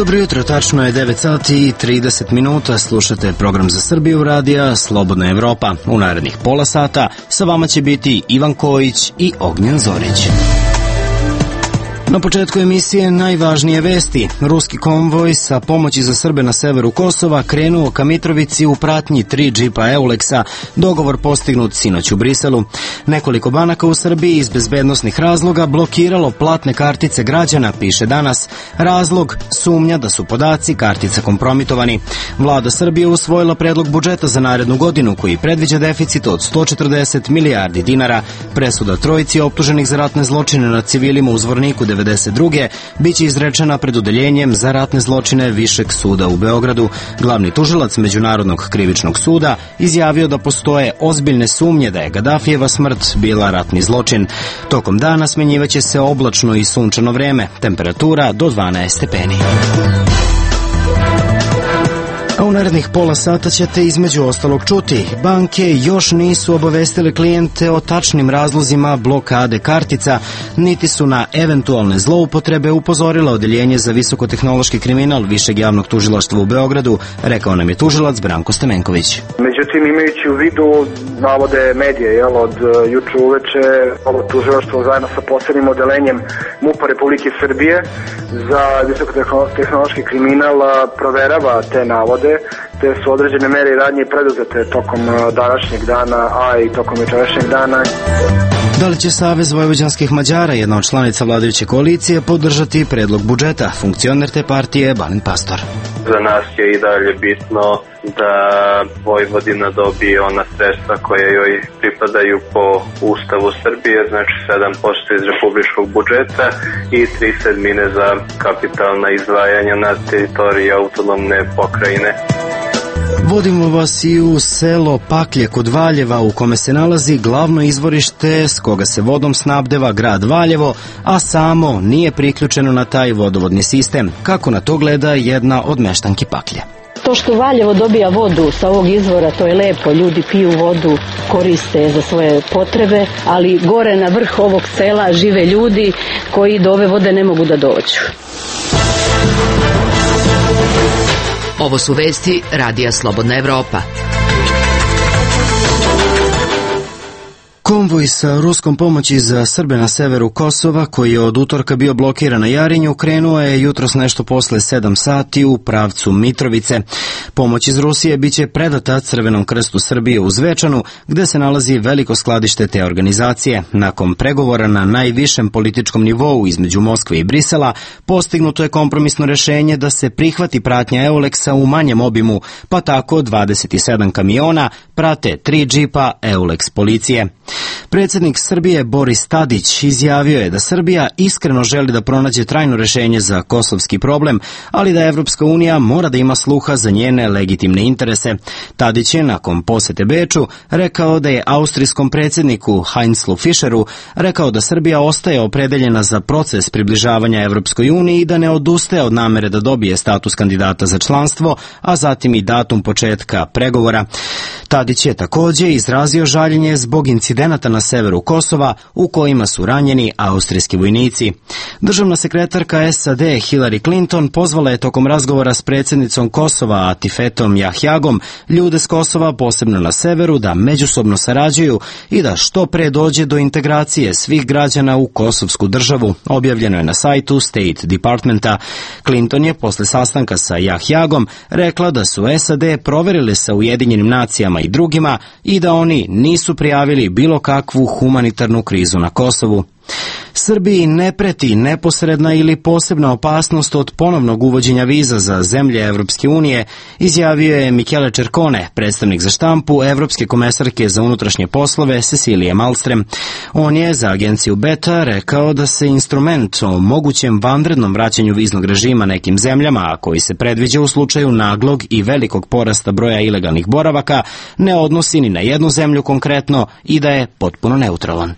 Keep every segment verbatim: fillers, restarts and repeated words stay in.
Dobro jutro, tačno je devet sati i trideset minuta, slušate program za Srbiju radija Slobodna Evropa. U narednih pola sata sa vama će biti Ivan Kojić i Ognjen Zorić. Na početku emisije najvažnije vesti. Ruski konvoj sa pomoći za Srbe na severu Kosova krenuo ka Mitrovici u pratnji tri džipa Euleksa, dogovor postignut sinoć u Briselu. Nekoliko banaka u Srbiji iz bezbednosnih razloga blokiralo platne kartice građana, piše Danas. Razlog, sumnja da su podaci kartica kompromitovani. Vlada Srbije usvojila predlog budžeta za narednu godinu koji predviđa deficit od sto četrdeset milijardi dinara. Presuda trojici optuženih za ratne zločine nad civilima u Zvorniku devedeset druge biće izrečena pred odeljenjem za ratne zločine Višeg suda u Beogradu. Glavni tužilac Međunarodnog krivičnog suda izjavio da postoje ozbiljne sumnje da je Gadafijeva smrt bila ratni zločin. Tokom dana smenjivaće se oblačno i sunčano vreme, temperatura do dvanaest stepeni. A u narednih pola sata ćete između ostalog čuti. Banke još nisu obavestile klijente o tačnim razlozima blokade kartica, niti su na eventualne zloupotrebe upozorila odeljenje za visokotehnološki kriminal Višeg javnog tužilaštva u Beogradu, rekao nam je tužilac Branko Stamenković. Međutim, imajući u vidu navode medije, jel, od juče uveče ovo tužilaštvo zajedno sa posebnim odeljenjem MUP-a Republike Srbije za visokotehnološki kriminal proverava te navode, te su određene mere i radnje preduzete tokom današnjeg dana, a i tokom jučerašnjeg dana. Da li će Savez vojvođanskih Mađara, jedna od članica vladajuće koalicije, podržati predlog budžeta? Funkcioner te partije Balint Pastor. Za nas je i dalje bitno da Vojvodina dobije ona sredstva koje joj pripadaju po Ustavu Srbije, znači sedam posto iz republičkog budžeta i tri sedmine za kapitalna izdvajanja na teritoriji autonomne pokrajine. Vodimo vas i u selo Paklje kod Valjeva, u kome se nalazi glavno izvorište s koga se vodom snabdeva grad Valjevo, a samo nije priključeno na taj vodovodni sistem. Kako na to gleda jedna od meštanki Paklje? To što Valjevo dobija vodu sa ovog izvora, to je lepo, ljudi piju vodu, koriste za svoje potrebe, ali gore na vrh ovog sela žive ljudi koji do ove vode ne mogu da dođu. Ovo su vesti Radija Slobodna Evropa. Konvoj sa ruskom pomoći za Srbe na severu Kosova, koji je od utorka bio blokiran na Jarinju, krenuo je jutros nešto posle sedam sati u pravcu Mitrovice. Pomoć iz Rusije biće predata Crvenom krstu Srbije u Zvečanu, gde se nalazi veliko skladište te organizacije. Nakon pregovora na najvišem političkom nivou između Moskve i Brisela, postignuto je kompromisno rešenje da se prihvati pratnja Euleksa u manjem obimu, pa tako dvadeset sedam kamiona prate tri džipa Euleks policije. Predsjednik Srbije Boris Tadić izjavio je da Srbija iskreno želi da pronađe trajno rešenje za kosovski problem, ali da Evropska unija mora da ima sluha za njene legitimne interese. Tadić je nakon posete Beču rekao da je austrijskom predsjedniku Heinzlu Fischeru rekao da Srbija ostaje opredeljena za proces približavanja Evropskoj uniji i da ne odustaje od namere da dobije status kandidata za članstvo, a zatim i datum početka pregovora. Tadić je također izrazio žaljenje zbog incidenata na severu Kosova u kojima su ranjeni austrijski vojnici. Državna sekretarka S A D Hillary Clinton pozvala je tokom razgovora s predsjednicom Kosova Atifetom Jahjagom ljude s Kosova, posebno na severu, da međusobno sarađuju i da što pre dođe do integracije svih građana u kosovsku državu, objavljeno je na sajtu State Departmenta. Clinton je posle sastanka sa Jahjagom rekla da su S A D proverili sa Ujedinjenim nacijama i drugima i da oni nisu prijavili bilo kakvu humanitarnu krizu na Kosovu. Srbiji ne preti neposredna ili posebna opasnost od ponovnog uvođenja viza za zemlje Evropske unije, izjavio je Michele Čerkone, predstavnik za štampu Evropske komesarke za unutrašnje poslove Cecilije Malmström. On je za agenciju Beta rekao da se instrument o mogućem vanrednom vraćanju viznog režima nekim zemljama, a koji se predviđa u slučaju naglog i velikog porasta broja ilegalnih boravaka, ne odnosi ni na jednu zemlju konkretno i da je potpuno neutralan.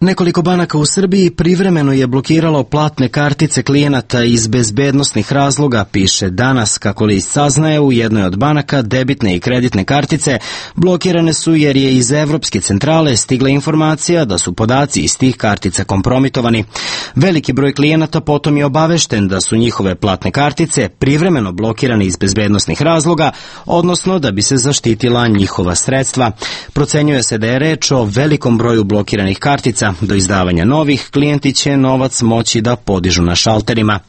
Nekoliko banaka u Srbiji privremeno je blokiralo platne kartice klijenata iz bezbednosnih razloga, piše danas. Kako list saznaje, u jednoj od banaka debitne i kreditne kartice blokirane su jer je iz Evropske centrale stigla informacija da su podaci iz tih kartica kompromitovani. Veliki broj klijenata potom je obavešten da su njihove platne kartice privremeno blokirane iz bezbednosnih razloga, odnosno da bi se zaštitila njihova sredstva. Procenjuje se da je reč o velikom broju blokiranih kartica. Do izdavanja novih, klijenti će novac moći da podižu na šalterima.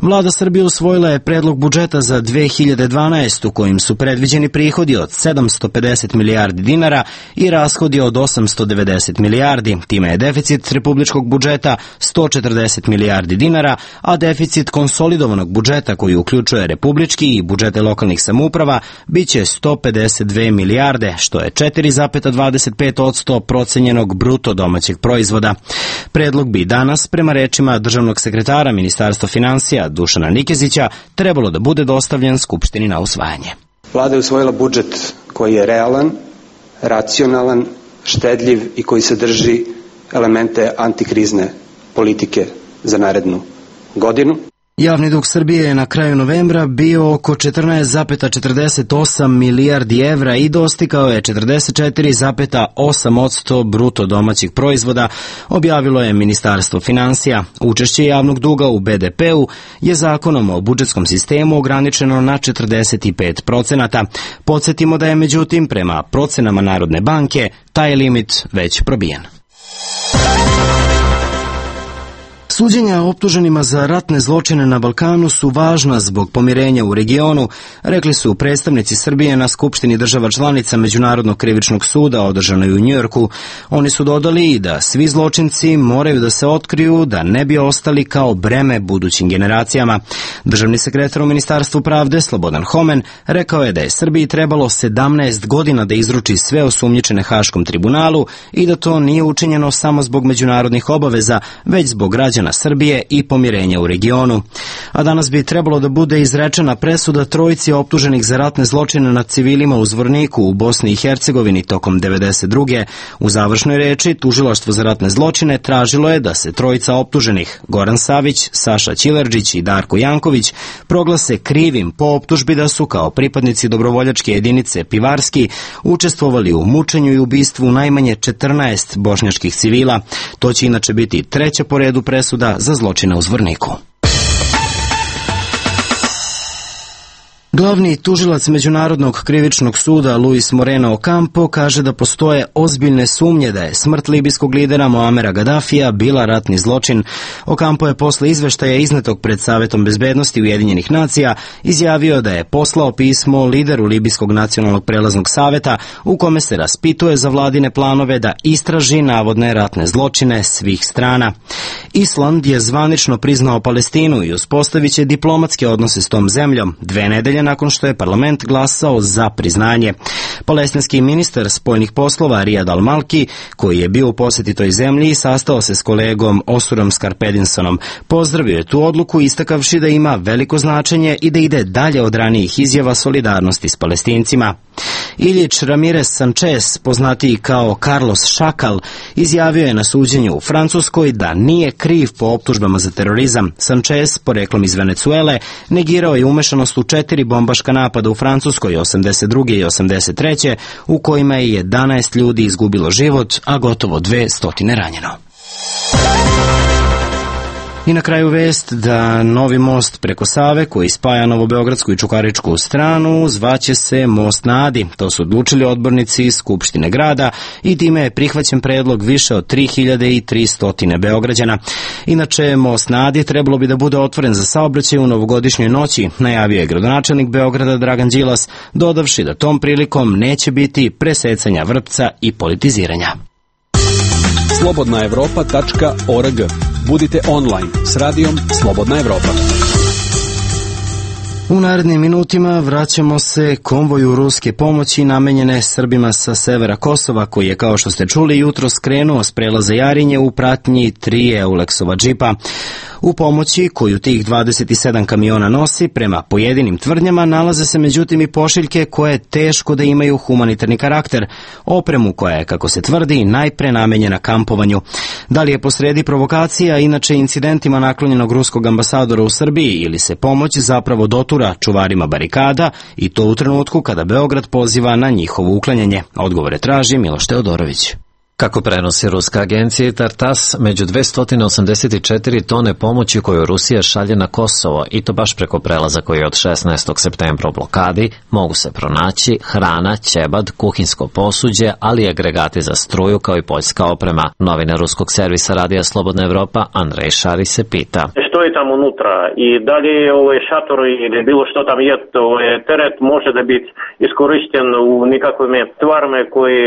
Vlada Srbije usvojila je predlog budžeta za dve hiljade dvanaestu. kojim su predviđeni prihodi od sedamsto pedeset milijardi dinara i rashodi od osamsto devedeset milijardi. Time je deficit republičkog budžeta sto četrdeset milijardi dinara, a deficit konsolidovanog budžeta koji uključuje republički i budžete lokalnih samouprava biće sto pedeset dve milijarde, što je četiri zarez dvadeset pet posto procenjenog bruto domaćeg proizvoda. Predlog bi danas, prema rečima državnog sekretara Ministarstva finansija Dušana Nikezića, trebalo da bude dostavljen Skupštini na usvajanje. Vlada je usvojila budžet koji je realan, racionalan, štedljiv i koji sadrži elemente antikrizne politike za narednu godinu. Javni dug Srbije je na kraju novembra bio oko četrnaest zarez četrdeset osam milijardi evra i dostigao je četrdeset četiri zarez osam posto bruto domaćeg proizvoda, objavilo je Ministarstvo finansija. Učešće javnog duga u be de pe-u je zakonom o budžetskom sistemu ograničeno na četrdeset pet procenata. Podsjetimo da je međutim prema procenama Narodne banke taj limit već probijen. Suđenja optuženima za ratne zločine na Balkanu su važna zbog pomirenja u regionu, rekli su predstavnici Srbije na Skupštini država članica Međunarodnog krivičnog suda održanoj u Njujorku. Oni su dodali i da svi zločinci moraju da se otkriju da ne bi ostali kao breme budućim generacijama. Državni sekretar u Ministarstvu pravde Slobodan Homen rekao je da je Srbiji trebalo sedamnaest godina da izruči sve osumnjičene Haškom tribunalu i da to nije učinjeno samo zbog međunarodnih obaveza, već zbog građana Srbije i pomirenja u regionu. A danas bi trebalo da bude izrečena presuda trojici optuženih za ratne zločine nad civilima u Zvorniku u Bosni i Hercegovini tokom devedeset druge. U završnoj reči Tužilaštvo za ratne zločine tražilo je da se trojica optuženih, Goran Savić, Saša Ćilerđić i Darko Janković, proglase krivim po optužbi da su kao pripadnici dobrovoljačke jedinice Pivarski učestvovali u mučenju i ubistvu najmanje četrnaest bošnjačkih civila. To će inače biti treća po redu presuda za zločine u Zvorniku. Glavni tužilac Međunarodnog krivičnog suda Luis Moreno Ocampo kaže da postoje ozbiljne sumnje da je smrt libijskog lidera Muamera Gaddafija bila ratni zločin. Ocampo je posle izveštaja iznetog pred Savetom bezbednosti Ujedinjenih nacija izjavio da je poslao pismo lideru Libijskog nacionalnog prelaznog saveta u kome se raspituje za vladine planove da istraži navodne ratne zločine svih strana. Island je zvanično priznao Palestinu i uspostavit će diplomatske odnose s tom zemljom dve nedelje nakon što je parlament glasao za priznanje. Palestinski ministar spoljnih poslova Riyad al-Malki, koji je bio u poseti toj zemlji i sastao se s kolegom Osurom Skarpedinsonom, pozdravio je tu odluku istakavši da ima veliko značenje i da ide dalje od ranijih izjava solidarnosti s Palestincima. Iljić Ramirez Sanchez, poznatiji kao Carlos Šakal, izjavio je na suđenju u Francuskoj da nije kriv po optužbama za terorizam. Sanchez, poreklom iz Venecuele, negirao je umešanost u četiri bombaška napada u Francuskoj osamdeset druge i osamdeset treće u kojima je jedanaest ljudi izgubilo život, a gotovo dve stotine ranjeno. I na kraju vest da novi most preko Save koji spaja Novobeogradsku i Čukaričku stranu zvaće se Most na Adi. To su odlučili odbornici Skupštine grada i time je prihvaćen predlog više od tri hiljade tristo Beograđana. Inače, Most na Adi trebalo bi da bude otvoren za saobraćaj u novogodišnjoj noći, najavio je gradonačelnik Beograda Dragan Đilas, dodavši da tom prilikom neće biti presecanja vrpca i politiziranja. slobodna evropa tačka org. Budite online s radijom Slobodna Evropa. U narednim minutima vraćamo se konvoju ruske pomoći namenjene Srbima sa severa Kosova, koji je, kao što ste čuli, jutro skrenuo s prelaza Jarinje u pratnji tri Euleksova džipa. U pomoći koju tih dvadeset sedam kamiona nosi, prema pojedinim tvrdnjama, nalaze se međutim i pošiljke koje teško da imaju humanitarni karakter, opremu koja je, kako se tvrdi, najpre namenjena kampovanju. Da li je posredi provokacija, inače incidentima naklonjenog ruskog ambasadora u Srbiji, ili se pomoć zapravo dotura čuvarima barikada, i to u trenutku kada Beograd poziva na njihovo uklanjanje? Odgovore traži Miloš Teodorović. Kako prenosi ruska agencija Tartas, među dvesta osamdeset četiri tone pomoći koju Rusija šalje na Kosovo, i to baš preko prelaza koji je od šesnaestog septembra u blokadi, mogu se pronaći hrana, ćebad, kuhinsko posuđe, ali i agregati za struju kao i poljska oprema. Novinar ruskog servisa Radija Slobodna Evropa Andrej Šari se pita: što je tamo unutra i da li je ovaj šator ili bilo što tam je, ovaj teret može da biti iskorišten u nekakvim stvarima koje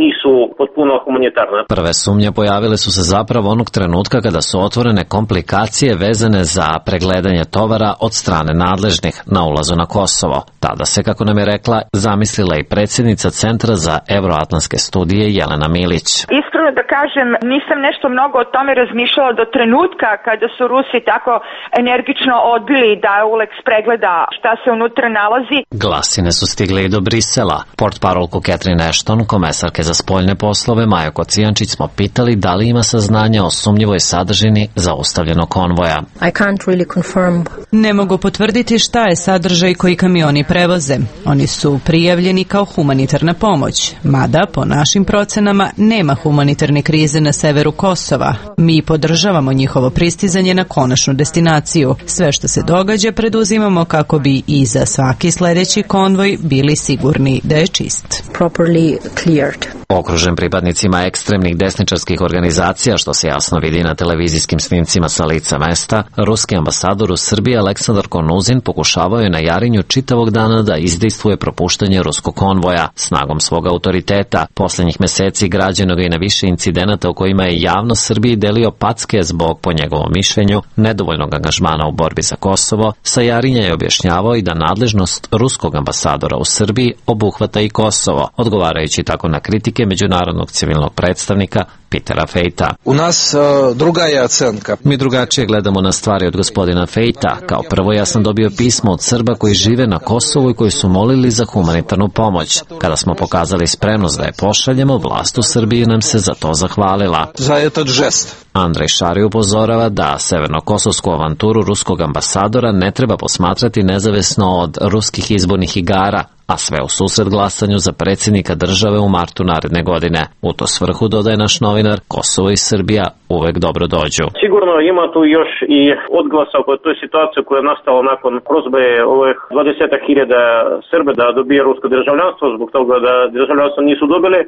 nisu potpuno humanitarne. Prve sumnje pojavile su se zapravo onog trenutka kada su otvorene komplikacije vezane za pregledanje tovara od strane nadležnih na ulazu na Kosovo. Tada se, kako nam je rekla, zamislila i predsjednica Centra za evroatlantske studije Jelena Milić. Iskreno da kažem, nisam nešto mnogo o tome razmišljala do trenutka kada su Rusi tako energično odbili da Eulex pregleda šta se unutra nalazi. Glasine su stigle i do Brisela. Portparolku Catherine Ashton, komesarke za spoljne poslove Majo Kocijančić, smo pitali da li ima saznanja o sumnjivoj sadržini zaustavljenog konvoja. I can't really confirm. Ne mogu potvrditi šta je sadržaj koji kamioni prevoze. Oni su prijavljeni kao humanitarna pomoć, mada po našim procenama nema humanitarne krize na severu Kosova. Mi podržavamo njihovo pristizanje na konačnu destinaciju. Sve što se događa preduzimamo kako bi i za svaki sledeći konvoj bili sigurni da je čist. Properly cleared. Okružen pripadnicima ekstremnih desničarskih organizacija, što se jasno vidi na televizijskim snimcima sa lica mesta, ruski ambasador u Srbiji Aleksandar Konuzin pokušavao je na Jarinju čitavog dana da izdejstvuje propuštanje ruskog konvoja. Snagom svog autoriteta, poslednjih meseci građeno ga i na više incidenata u kojima je javno Srbiji delio packe zbog, po njegovom mišljenju, nedovoljnog angažmana u borbi za Kosovo. Sa Jarinja je objašnjavao i da nadležnost ruskog ambasadora u Srbiji obuhvata i Kosovo, odgovarajući tako na kritike međunarodnog civilnog predstavnika Petera Fejta. U nas uh, druga je ocenka. Mi drugačije gledamo na stvari od gospodina Fejta. Kao prvo, ja sam dobio pismo od Srba koji žive na Kosovu i koji su molili za humanitarnu pomoć. Kada smo pokazali spremnost da je pošaljemo, vlast u Srbiji nam se za to zahvalila. Za etat žest. Andrej Šari upozorava da severnokosovsku avanturu ruskog ambasadora ne treba posmatrati nezavisno od ruskih izbornih igara, a sve u susret glasanju za predsjednika države u martu naredne godine. U to svrhu, dodaje naš novinar, Kosovo i Srbija uvek dobro dođu. Sigurno ima tu još i odglasa oko toj situaciji koja je nastala nakon prozbe ovih dvadeset hiljada Srbe da dobije rusko državljanstvo, zbog toga da državljanstvo nisu dobili,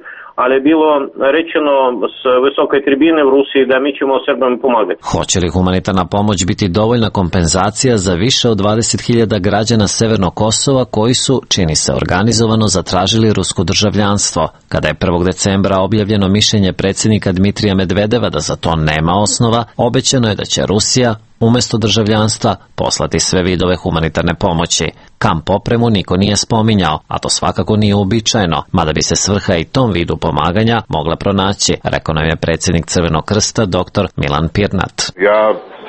ali je bilo rečeno s visoke tribine u Rusiji da mi ćemo Srbima pomagati. Hoće li humanitarna pomoć biti dovoljna kompenzacija za više od dvadeset hiljada građana Severnog Kosova koji su, čini se organizovano, zatražili rusko državljanstvo? Kada je prvog decembra objavljeno mišljenje predsjednika Dmitrija Medvedeva da za to nema osnova, obećano je da će Rusija umesto državljanstva poslati sve vidove humanitarne pomoći. Kamp opremu niko nije spominjao, a to svakako nije uobičajeno, mada bi se svrha i tom vidu pomaganja mogla pronaći, rekao nam je predsjednik Crvenog krsta doktor Milan Pirnat. Ja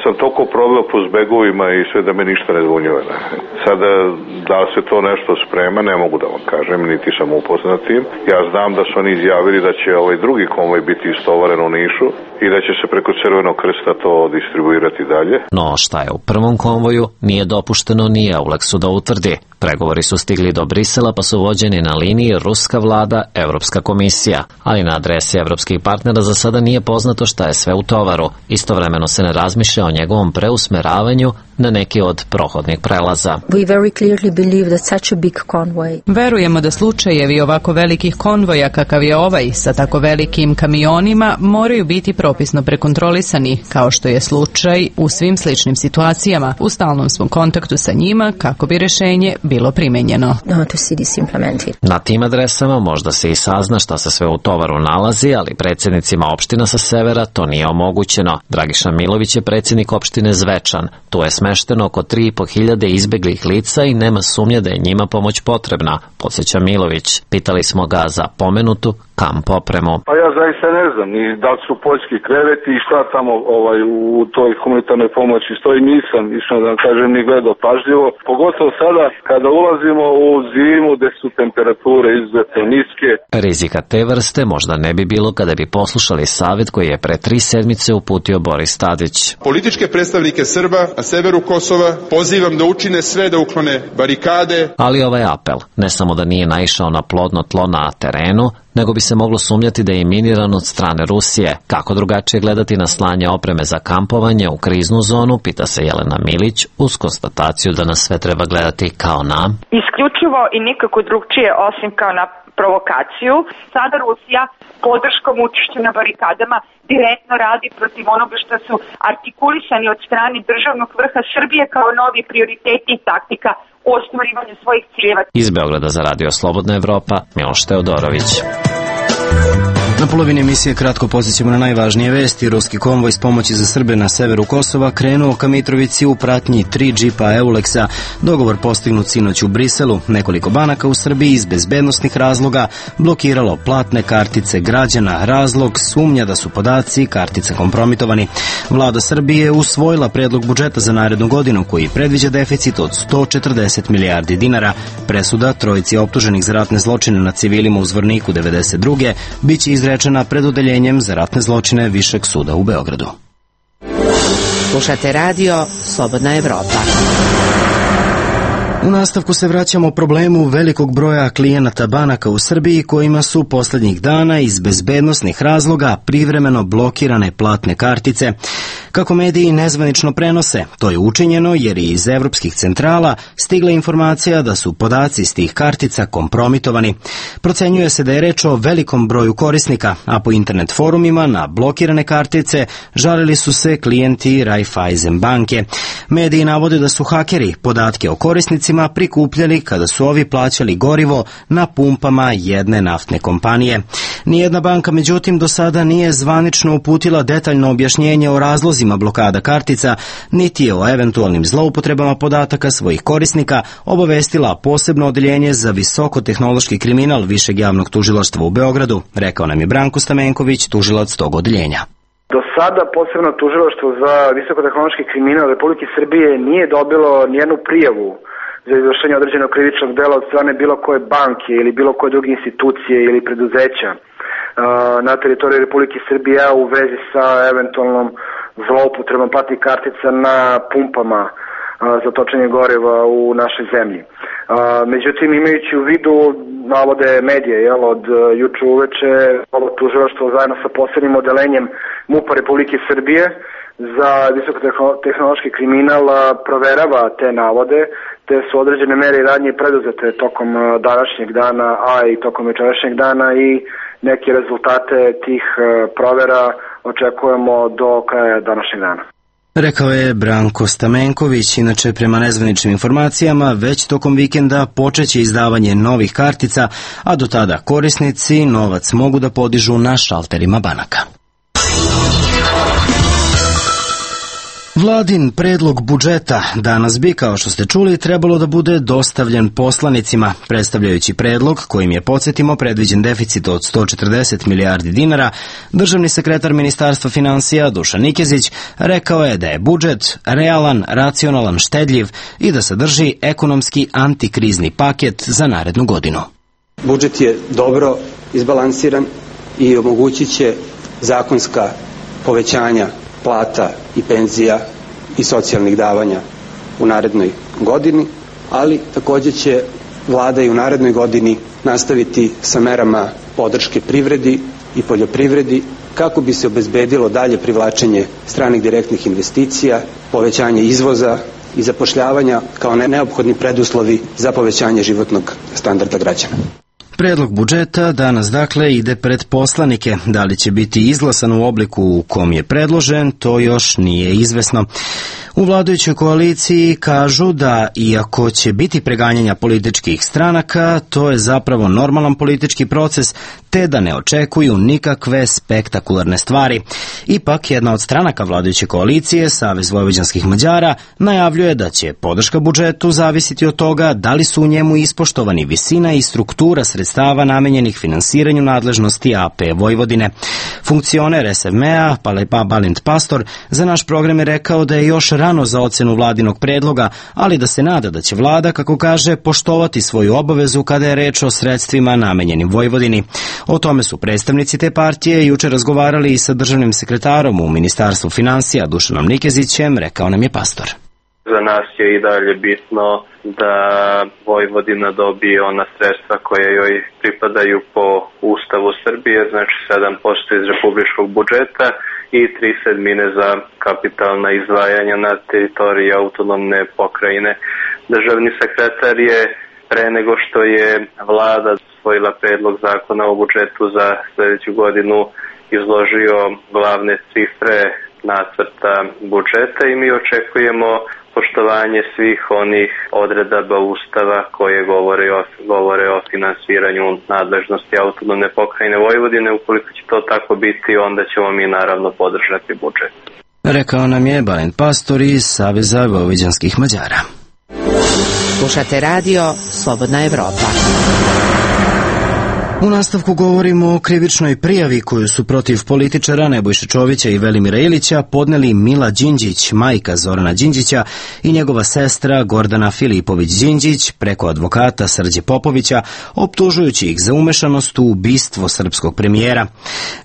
sam toliko proveo po zbegovima i sve da me ništa ne zvunjuje. Sada, da li se to nešto sprema, ne mogu da vam kažem, niti sam upoznat tim. Ja znam da su oni izjavili da će ovaj drugi konvoj biti istovaren u Nišu i da će se preko Crvenog krsta to distribuirati dalje. No šta je u prvom konvoju nije dopušteno ni Eulexu da utvrdi. Pregovori su stigli do Brisela pa su vođeni na liniji ruska vlada, Evropska komisija, ali na adresi evropskih partnera za sada nije poznato šta je sve u tovaru. Istovremeno se ne razmišlja o njegovom preusmeravanju na neki od prohodnih prelaza. We very clearly believe that such a big convoy. Verujemo da slučajevi ovako velikih konvoja kakav je ovaj sa tako velikim kamionima moraju biti propisno prekontrolisani, kao što je slučaj u svim sličnim situacijama. U stalnom smo kontaktu sa njima kako bi rešenje bilo primenjeno. Na tim adresama možda se i sazna šta se sve u tovaru nalazi, ali predsjednicima opština sa severa to nije omogućeno. Dragiša Milović je predsjednik opštine Zvečan. Tu je smešteno oko tri i po hiljade izbeglih lica i nema sumnje da je njima pomoć potrebna, podsjeća Milović. Pitali smo ga za pomenutu kamp opremu. Pa ja zaista ne znam ni da li su poljski kreveti i šta tamo ovaj, u toj humanitarnoj pomoći stoji, nisam išao da kažem ni gledao pažljivo, pogotovo sada kada ulazimo u zimu gde su temperature izuzetno niske. Rizika te vrste možda ne bi bilo kada bi poslušali savjet koji je pre tri sedmice uputio Boris Tadić. Političke predstavnike Srba na severu Kosova pozivam da učine sve da uklone barikade. Ali ovaj apel ne samo da nije naišao na plodno tlo na terenu, nego bi se moglo sumnjati da je miniran od strane Rusije. Kako drugačije gledati na slanje opreme za kampovanje u kriznu zonu, pita se Jelena Milić, uz konstataciju da nas sve treba gledati kao na... Isključivo i nikako drugčije osim kao na provokaciju. Sada Rusija podrškom učešću na barikadama direktno radi protiv onoga što su artikulisani od strane državnog vrha Srbije kao novi prioriteti i taktika u ostvarivanju svojih ciljeva. Iz Beograda za Radio Slobodna Evropa, Miloš Teodorović. Na polovini emisije kratko podsjećamo na najvažnije vesti. Ruski konvoj s pomoći za Srbe na severu Kosova krenuo ka Mitrovici u pratnji tri džipa Euleksa. Dogovor postignut sinoć u Briselu. Nekoliko banaka u Srbiji iz bezbednosnih razloga blokiralo platne kartice građana. Razlog sumnja da su podaci kartica kompromitovani. Vlada Srbije usvojila predlog budžeta za narednu godinu koji predviđa deficit od sto četrdeset milijardi dinara. Presuda trojici optuženih za ratne zločine na civilima u Zvorniku devedeset druge biće izrečena pred odeljenjem za ratne zločine Višeg suda u Beogradu. Slušate radio Slobodna Evropa. U nastavku se vraćamo problemu velikog broja klijenata banaka u Srbiji kojima su poslednjih dana iz bezbednosnih razloga privremeno blokirane platne kartice. Kako mediji nezvanično prenose, to je učinjeno jer je iz evropskih centrala stigla informacija da su podaci iz tih kartica kompromitovani. Procenjuje se da je reč o velikom broju korisnika, a po internet forumima na blokirane kartice žalili su se klijenti Raiffeisen banke. Mediji navode da su hakeri podatke o korisnicima prikupljali kada su ovi plaćali gorivo na pumpama jedne naftne kompanije. Nijedna banka, međutim, do sada nije zvanično uputila detaljno objašnjenje o razlozima blokada kartica, niti je o eventualnim zloupotrebama podataka svojih korisnika obavestila posebno odeljenje za visokotehnološki kriminal Višeg javnog tužilaštva u Beogradu, rekao nam je Branko Stamenković, tužilac tog odeljenja. Do sada posebno tužilaštvo za visokotehnološki kriminal Republike Srbije nije dobilo nijednu prijavu za izvršenje određenog krivičnog dela od strane bilo koje banke ili bilo koje druge institucije ili preduzeća na teritoriji Republike Srbije u vezi sa eventualnom zloupotrebom platnih kartica na pumpama za točenje goriva u našoj zemlji. Međutim, imajući u vidu navode medije, jel, od juče uveče ovo tužilaštvo zajedno sa posebnim odelenjem MUP-a Republike Srbije za visokotehnološki kriminal proverava te navode, te su određene mere i radnje preduzete tokom današnjeg dana, a i tokom večerašnjeg dana i neke rezultate tih provera očekujemo do kraja današnjeg dana. Rekao je Branko Stamenković. Inače, prema nezvaničnim informacijama, već tokom vikenda počeće izdavanje novih kartica, a do tada korisnici novac mogu da podižu na šalterima banaka. Vladin predlog budžeta danas bi, kao što ste čuli, trebalo da bude dostavljen poslanicima. Predstavljajući predlog, kojim je, podsjetimo, predviđen deficit od sto četrdeset milijardi dinara, državni sekretar Ministarstva finansija Dušan Nikezić rekao je da je budžet realan, racionalan, štedljiv i da sadrži ekonomski antikrizni paket za narednu godinu. Budžet je dobro izbalansiran i omogućit će zakonska povećanja plata i penzija i socijalnih davanja u narednoj godini, ali također će vlada i u narednoj godini nastaviti sa merama podrške privredi i poljoprivredi kako bi se obezbedilo dalje privlačenje stranih direktnih investicija, povećanje izvoza i zapošljavanja kao neophodni preduslovi za povećanje životnog standarda građana. Predlog budžeta danas dakle ide pred poslanike. Da li će biti izglasan u obliku u kom je predložen, to još nije izvesno. U vladajućoj koaliciji kažu da, iako će biti preganjanja političkih stranaka, to je zapravo normalan politički proces, te da ne očekuju nikakve spektakularne stvari. Ipak, jedna od stranaka vladajuće koalicije, Savez vojvođanskih Mađara, najavljuje da će podrška budžetu zavisiti od toga da li su u njemu ispoštovani visina i struktura sredstava namenjenih finansiranju nadležnosti A P Vojvodine. Funkcioner S M E-a, Balint Pastor, za naš program je rekao da je još rano za ocenu vladinog predloga, ali da se nada da će vlada, kako kaže, poštovati svoju obavezu kada je reč o sredstvima namenjenim Vojvodini. O tome su predstavnici te partije juče razgovarali i sa državnim sekretarom u Ministarstvu finansija Dušanom Nikezićem, rekao nam je Pastor. Za nas je i dalje bitno da Vojvodina dobije ona sredstva koje joj pripadaju po Ustavu Srbije, znači sedam posto iz republičkog budžeta i tri sedmine za kapitalna izdvajanja na teritoriji autonomne pokrajine. Državni sekretar je pre nego što je vlada usvojila predlog zakona o budžetu za sledeću godinu izložio glavne cifre nacrta budžeta i mi očekujemo poštovanje svih onih odredaba Ustava koje govore o, govore o finansiranju nadležnosti autonomne pokrajine Vojvodine. Ukoliko će to tako biti, onda ćemo mi naravno podržati budžet. Rekao nam je Balint Pastor iz Saveza vojvođanskih Mađara. Slušate radio Slobodna Evropa. U nastavku govorimo o krivičnoj prijavi koju su protiv političara Nebojše Čovića i Velimira Ilića podneli Mila Đinđić, majka Zorana Đinđića, i njegova sestra Gordana Filipović-Đinđić preko advokata Srđe Popovića, optužujući ih za umešanost u ubistvo srpskog premijera.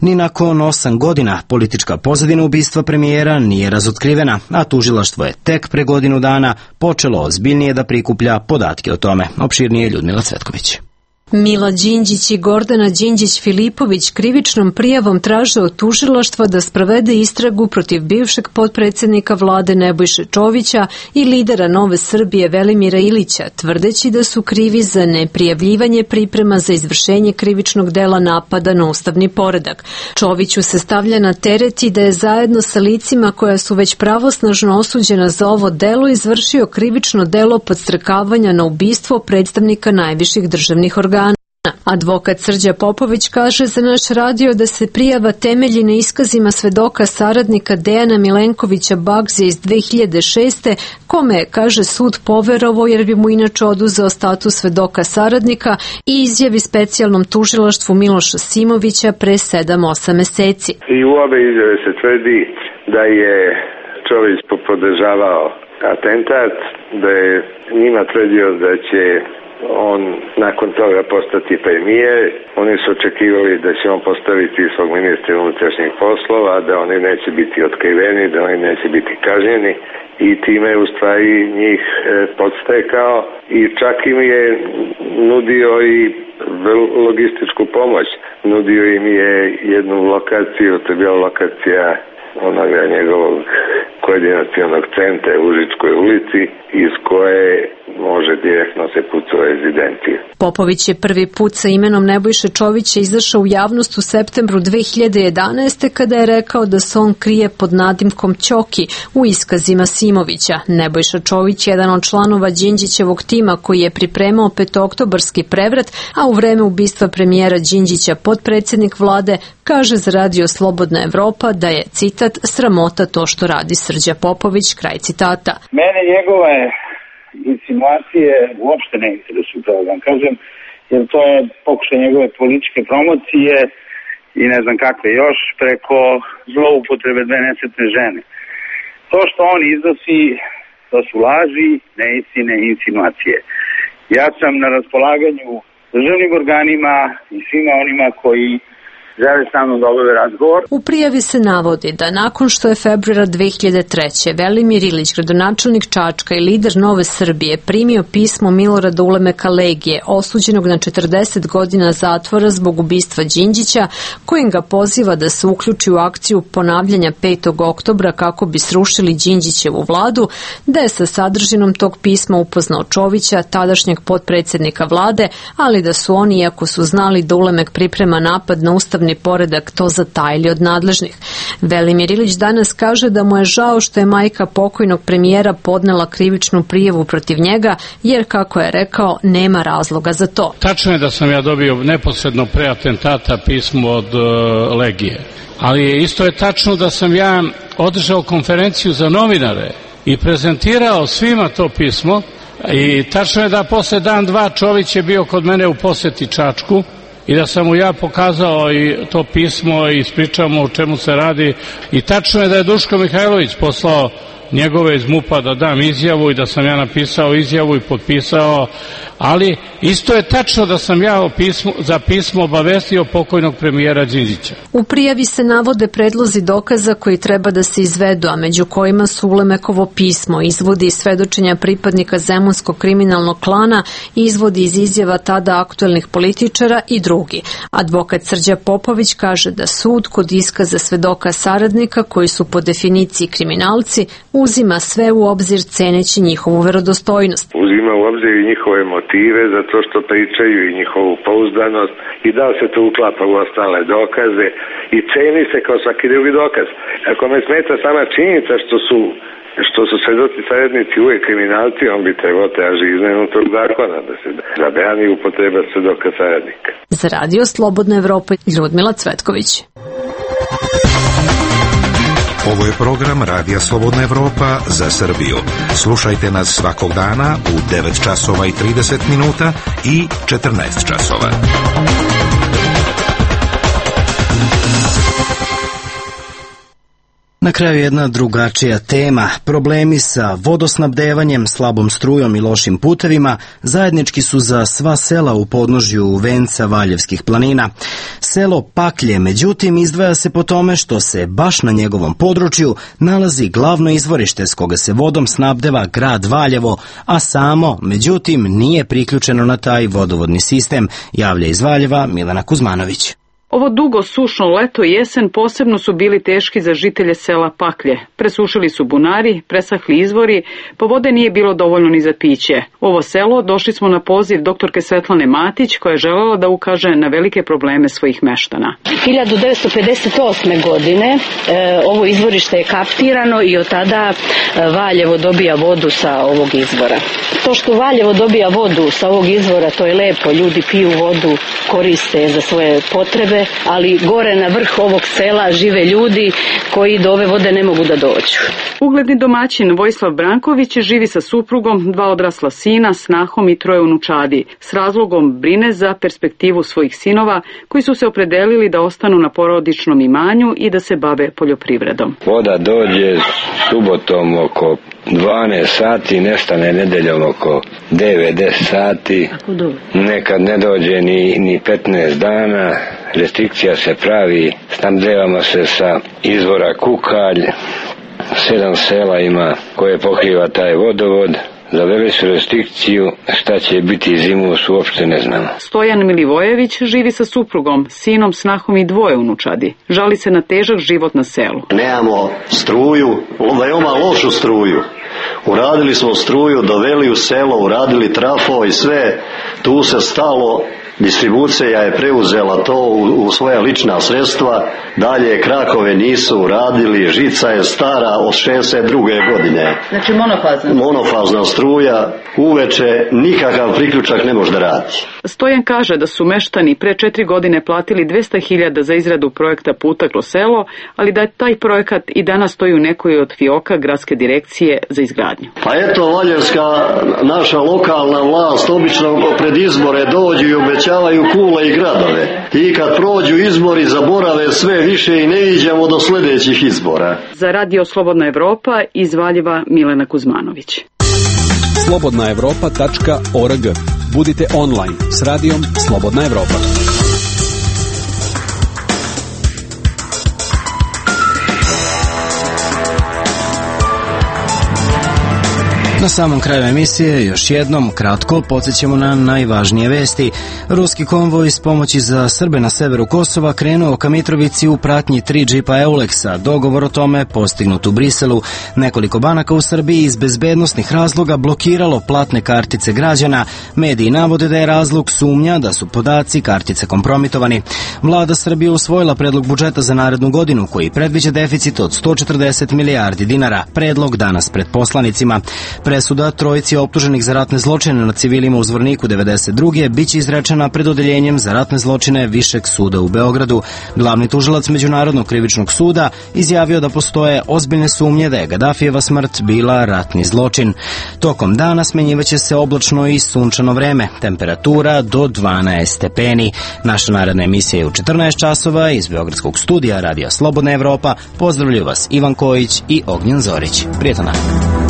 Ni nakon osam godina politička pozadina ubistva premijera nije razotkrivena, a tužilaštvo je tek pre godinu dana počelo ozbiljnije da prikuplja podatke o tome. Opširnije Ljudmila Cvetković. Mila Đinđić i Gordana Đinđić-Filipović krivičnom prijavom traže od tužilaštva da sprovede istragu protiv bivšeg potpredsednika vlade Nebojše Čovića i lidera Nove Srbije Velimira Ilića, tvrdeći da su krivi za neprijavljivanje priprema za izvršenje krivičnog dela napada na ustavni poredak. Čoviću se stavlja na teret i da je zajedno sa licima koja su već pravosnažno osuđena za ovo delo izvršio krivično delo podstrekavanja na ubistvo predstavnika najviših državnih organa. Advokat Srđa Popović kaže za naš radio da se prijava temelji na iskazima svedoka saradnika Dejana Milenkovića Bagzija iz dve hiljade šeste. kome, kaže sud, poverovao jer bi mu inače oduzeo status svedoka saradnika, i izjavi specijalnom tužilaštvu Miloša Simovića pre sedam osam meseci. I u obe izjave se tvrdi da je Čović podržavao atentat, da je njima tvrdio da će on nakon toga postati premijer. Oni su očekivali da će on postaviti svog ministra unutrašnjih poslova, da oni neće biti otkriveni, da oni neće biti kažnjeni, i time je u stvari njih podstekao i čak im je nudio i logističku pomoć. Nudio im je jednu lokaciju, to je bila lokacija onoga njegovog koordinacionog centra u Užičkoj ulici, iz koje može direktno se puca u rezidenciju. Popović je prvi put sa imenom Nebojše Čovića izašao u javnost u septembru dve hiljade jedanaeste. kada je rekao da se on krije pod nadimkom Ćoki u iskazima Simovića. Nebojša Čović je jedan od članova Đinđićevog tima koji je pripremao petooktobarski prevrat, a u vreme ubistva premijera Đinđića potpredsednik vlade kaže za radio Slobodna Evropa da je, citat, sramota to što radi Srđa Popović, kraj citata. Mene njegove insinuacije uopšte ne interesuju, pravo da vam kažem, jer to je pokušaj njegove političke promocije i ne znam kakve još, preko zloupotrebe dve nesretne žene. To što on iznosi, to su laži, neistine i insinuacije. Ja sam na raspolaganju državnim organima i svima onima koji žele sa mnom da obave razgovor. U prijavi se navodi da nakon što je februara dve hiljade treće. Velimir Ilić, gradonačelnik Čačka i lider Nove Srbije, primio pismo Milorada Ulemeka Legije, osuđenog na četrdeset godina zatvora zbog ubistva Đinđića, kojim ga poziva da se uključi u akciju ponavljanja petog oktobra kako bi srušili Đinđićevu vladu, da je sa sadržinom tog pisma upoznao Čovića, tadašnjeg potpredsednika vlade, ali da su oni, iako su znali da Ulemek priprema napad na ustavni državni poredak to zatajili od nadležnih. Velimir Ilić danas kaže da mu je žao što je majka pokojnog premijera podnela krivičnu prijavu protiv njega, jer, kako je rekao, nema razloga za to. Tačno je da sam ja dobio neposredno pre atentata pismo od uh, Legije, ali isto je tačno da sam ja održao konferenciju za novinare i prezentirao svima to pismo, i tačno je da posle dan, dva Čović je bio kod mene u poseti Čačku i da sam mu ja pokazao i to pismo i ispričamo o čemu se radi, i tačno je da je Duško Mihajlović poslao njegove iz MUP-a da dam izjavu i da sam ja napisao izjavu i potpisao, ali isto je tačno da sam ja pismo, za pismo obavestio pokojnog premijera Đinđića. U prijavi se navode predlozi dokaza koji treba da se izvedu, a među kojima su Ulemekovo pismo, izvodi iz svedočenja pripadnika zemunskog kriminalnog klana, izvodi iz izjava tada aktuelnih političara i drugi. Advokat Srđa Popović kaže da sud kod iskaza svedoka saradnika, koji su po definiciji kriminalci, uzima sve u obzir ceneći njihovu verodostojnost. Uzima u obzir i njihove motive za to što pričaju i njihovu pouzdanost i da se to uklapa u ostale dokaze i ceni se kao svaki drugi dokaz. Ako me smeta sama činjenica što su što su svedoci saradnici uvijek kriminalci, on bi trebao traži izmenu tog zakona da se zabrani upotreba svedoka saradnika. Za Radio Slobodna Evropa, Ljudmila Cvetković. Ovo je program Radija Slobodna Evropa za Srbiju. Slušajte nas svakog dana u devet časova i trideset minuta i četrnaest časova. Na kraju jedna drugačija tema. Problemi sa vodosnabdevanjem, slabom strujom i lošim putevima zajednički su za sva sela u podnožju venca Valjevskih planina. Selo Paklje, međutim, izdvaja se po tome što se baš na njegovom području nalazi glavno izvorište s koga se vodom snabdeva grad Valjevo, a samo, međutim, nije priključeno na taj vodovodni sistem, javlja iz Valjeva Milena Kuzmanović. Ovo dugo sušno leto i jesen posebno su bili teški za žitelje sela Paklje. Presušili su bunari, presahli izvori, pa vode nije bilo dovoljno ni za piće. U ovo selo došli smo na poziv doktorke Svetlane Matić, koja je želela da ukaže na velike probleme svojih meštana. hiljadu devetsto pedeset osme. godine e, ovo izvorište je kaptirano i od tada Valjevo dobija vodu sa ovog izvora. To što Valjevo dobija vodu sa ovog izvora, to je lepo, ljudi piju vodu, koriste za svoje potrebe, ali gore na vrh ovog sela žive ljudi koji do ove vode ne mogu da dođu. Ugledni domaćin Vojislav Branković živi sa suprugom, dva odrasla sina, snahom i troje unučadi. S razlogom brine za perspektivu svojih sinova koji su se opredelili da ostanu na porodičnom imanju i da se bave poljoprivredom. Voda dođe subotom oko dvanaest sati, nestane nedeljom oko devet deset sati, nekad ne dođe ni, ni petnaest dana. Restrikcija se pravi, snabdevamo se sa izvora Kukalj, sedam sela ima koje pokriva taj vodovod. Zaveli su restrikciju, šta će biti zimus uopšte ne znamo. Stojan Milivojević živi sa suprugom, sinom, snahom i dvoje unučadi. Žali se na težak život na selu. Nemamo struju, veoma lošu struju. Uradili smo struju, doveli u selo, uradili trafo i sve, tu se stalo. Distribucija je preuzela to u, u svoja lična sredstva, dalje krakove nisu uradili, žica je stara od šezdeset druge. godine. Znači monofazna? Monofazna struja, uveče nikakav priključak ne može da radi. Stojan kaže da su meštani pre četiri godine platili dvesta hiljada za izradu projekta puta kroz selo, ali da taj projekat i danas stoji u nekoj od fioka gradske direkcije za izgradnju. Pa eto, valjevska naša lokalna vlast obično pred izbore dođu i obećavaju kule i gradove. I kad prođu izbori zaborave sve više i ne iđemo do sljedećih izbora. Za Radio Slobodna Evropa iz Valjeva Milena Kuzmanović. slobodna evropa tačka org. Budite online s radijom Slobodna Evropa. Na samom kraju emisije još jednom kratko podsjećamo na najvažnije vesti. Ruski konvoj s pomoći za Srbe na severu Kosova krenuo ka Mitrovici u pratnji tri džipa Euleksa. Dogovor o tome postignut u Briselu. Nekoliko banaka u Srbiji iz bezbednosnih razloga blokiralo platne kartice građana. Mediji navode da je razlog sumnja da su podaci kartice kompromitovani. Vlada Srbije usvojila predlog budžeta za narednu godinu koji predviđa deficit od sto četrdeset milijardi dinara. Predlog danas pred poslanicima. Presuda trojici optuženih za ratne zločine na civilima u Zvorniku devedeset druge biće izrečena pred odeljenjem za ratne zločine Višeg suda u Beogradu. Glavni tužilac Međunarodnog krivičnog suda izjavio da postoje ozbiljne sumnje da je Gadafijeva smrt bila ratni zločin. Tokom dana smenjivaće se oblačno i sunčano vreme, temperatura do dvanaest stepeni. Naša naredna emisija je u četrnaest časova iz Beogradskog studija Radija Slobodna Evropa. Pozdravljaju vas Ivan Kojić i Ognjen Zorić. Prijetan dan.